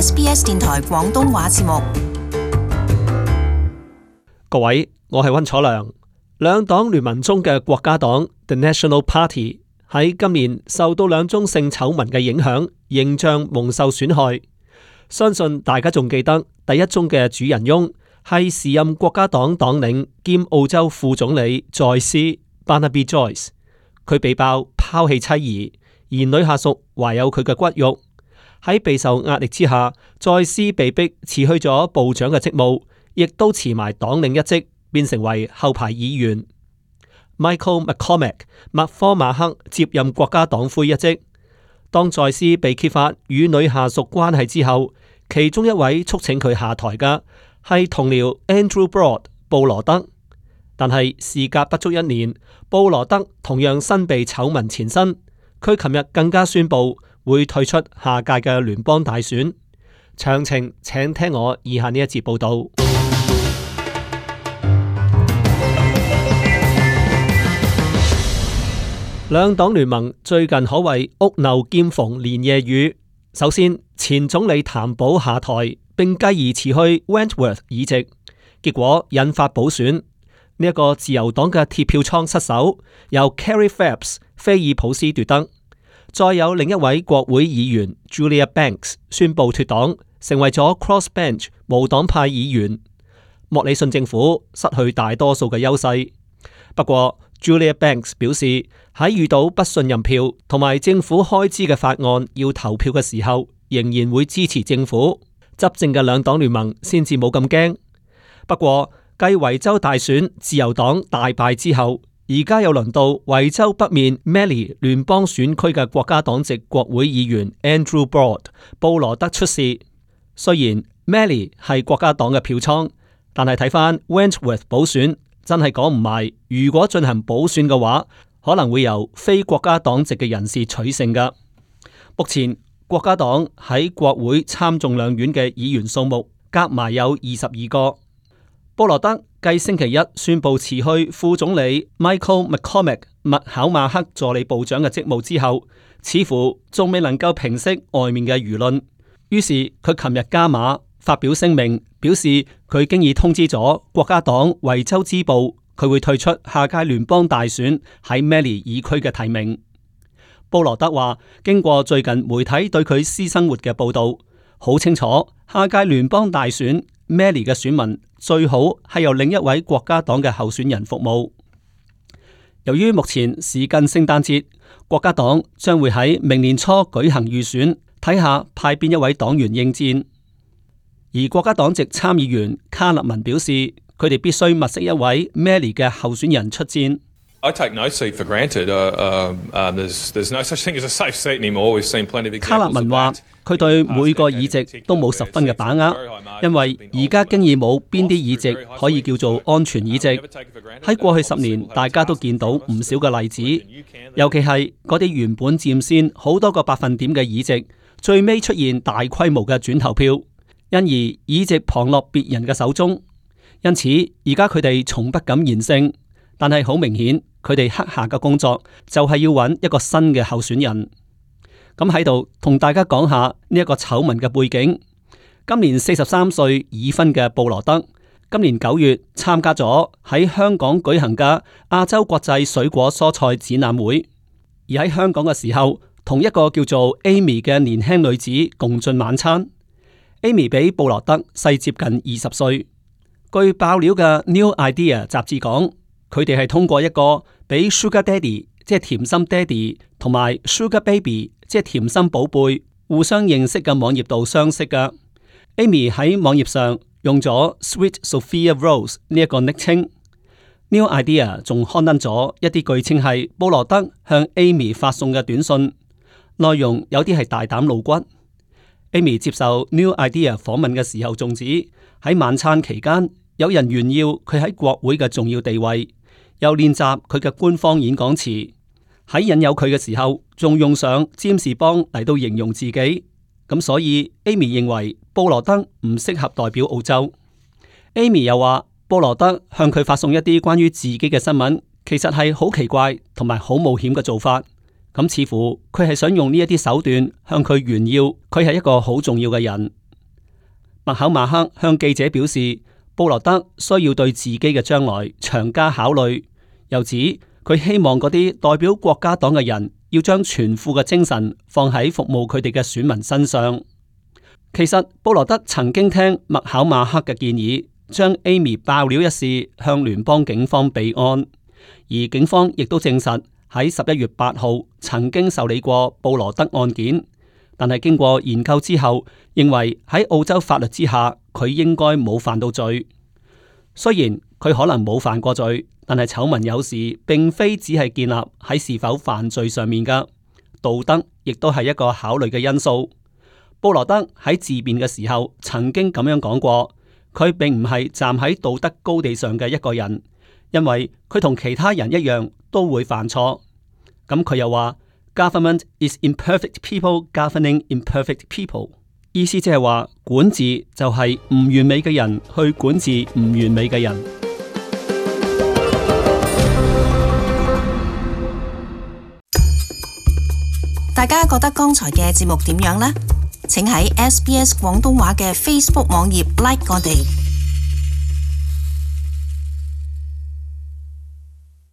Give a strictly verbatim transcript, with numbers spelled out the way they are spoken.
S B S 電台廣東話節目。各位，我係溫楚良。兩黨聯盟中嘅國家黨 The National Party 喺今年受到兩宗性醜聞嘅影響，形象蒙受損害。相信大家仲記得第一宗嘅主人翁係時任國家黨黨領兼澳洲副總理在斯 Barnaby Joyce， 佢被爆拋棄妻兒，而女下屬懷有佢嘅骨肉。喺備受壓力之下，在斯被逼辭去咗部長嘅職務，亦都辭埋黨領一職，變成為後排議員。Michael McCormack 麥科馬克接任國家黨魁一職。當在斯被揭發與女下屬關係之後，其中一位促請佢下台嘅係同僚 Andrew Broad 布羅德。但係事隔不足一年，布羅德同樣身被醜聞纏身。佢琴日更加宣布會退出下屆嘅聯邦大選。詳情請聽我以下呢一節報道。兩黨聯盟最近可謂屋漏兼逢連夜雨。首先，前總理譚寶下台，並繼而辭去 Wentworth 議席，結果引發補選。呢、這、一個自由黨嘅鐵票倉失守，由 Kerry Phelps 菲爾普斯奪得。再有另一位國會議員 Julia Banks 宣布脫黨，成為咗 Crossbench 無黨派議員。莫里遜政府失去大多數嘅優勢。不過Julia Banks 表示，喺遇到不信任票同埋政府開支嘅法案要投票嘅時候，仍然會支持政府。執政嘅兩黨聯盟先至冇咁驚。不過繼維州大選自由黨大敗之後，而家又輪到維州北面 Mallee 聯邦選區嘅國家黨籍國會議員 Andrew Broad 布羅德出事。雖然 Mallee 係國家黨嘅票倉，但係睇返 Wentworth 補選，真係講唔埋，如果進行補選嘅話，可能會由非國家黨籍嘅人士取勝㗎。目前國家黨喺國會參眾兩院嘅議員數目夾埋有二十二個。布羅德繼星期一宣布辭去副總理 Michael McCormack 麥考馬克助理部長嘅職務之後，似乎仲未能夠平息外面嘅輿論。於是佢琴日加碼發表聲明，表示佢經已通知咗國家黨維州支部，佢會退出下屆聯邦大選喺 Mallee 議區嘅提名。布羅德話，經過最近媒體對佢私生活嘅報道，好清楚下屆聯邦大選 Mallee 嘅選民最好係由另一位國家黨嘅候選人服務。由於目前時近聖誕節，國家黨將會喺明年初舉行預選，睇下派邊一位黨員應戰。而國家黨籍參議員卡勒文表示，佢哋必須物色一位 Mallee 嘅候選人出戰。I take no seat for granted. Uh, uh, uh, there's, there's no such thing as a safe seat anymore. We've seen plenty of examples of that. 卡勒文話，佢對每個議席都冇十分嘅把握，因為而家經已冇邊啲議席可以叫做安全議席。喺過去十年，大家都見到唔少嘅例子，尤其係嗰啲原本佔先好多個百分點嘅議席，最尾出現大規模嘅轉投票，因而議席旁落別人嘅手中。因此而家佢哋從不敢言勝，但係好明顯佢哋刻下嘅工作就係要揾一個新嘅候選人。咁喺度同大家講下呢一個醜聞嘅背景。今年四十三歲已婚嘅布羅德，今年九月參加咗喺香港舉行嘅亞洲國際水果蔬菜展覽會，而喺香港嘅時候，同一個叫做 Amy 嘅年輕女子共進晚餐。Amy 比布羅德細接近二十歲。據爆料嘅 New Idea 雜誌講，佢哋係通過一個比 Sugar Daddy 即係甜心爹哋同埋 Sugar Baby 即係甜心寶貝互相認識嘅網頁度相識嘅。Amy 喺網頁上用咗 Sweet Sophia Rose 呢一個昵稱。New Idea 仲刊登咗一啲據稱係布羅德向 Amy 發送嘅短信，內容有啲係大膽露骨。Amy 接受 New Idea 訪問嘅時候，仲指喺晚餐期間，有人炫耀佢喺國會嘅重要地位，又練習佢嘅官方演講詞。喺引誘佢嘅時候，仲用上占士邦嚟到形容自己。咁所以 Amy 認為布羅德唔適合代表澳洲。Amy 又話布羅德向佢發送一啲關於自己嘅新聞，其實係好奇怪同埋好冒險嘅做法。咁似乎佢係想用呢一啲手段向佢炫耀佢係一個好重要嘅人。麥考馬克向記者表示，布羅德需要對自己嘅將來長加考慮，又指佢希望嗰啲代表國家黨嘅人要將全副嘅精神放喺服務佢哋嘅選民身上。其實布羅德曾經聽麥考馬克嘅建議，將 Amy 爆料一事向聯邦警方備案，而警方亦都證實喺十一月八號曾經受理過布羅德案件，但係經過研究之後，認為喺澳洲法律之下，佢應該冇犯到罪。雖然佢可能冇犯過罪，但係醜聞有時並非只係建立喺是否犯罪上面噶，道德亦都係一個考慮嘅因素。布羅德喺自辯嘅時候曾經咁樣講過，佢並唔係站喺道德高地上嘅一個人，因為佢同其他人一樣都會犯錯。咁佢又話 Government is imperfect people governing imperfect people， 意思即係話管治就係唔完美嘅人去管治唔完美嘅人。大家覺得剛才嘅節目點樣呢？請喺 S B S 廣東話嘅 Facebook 網頁 like 我哋。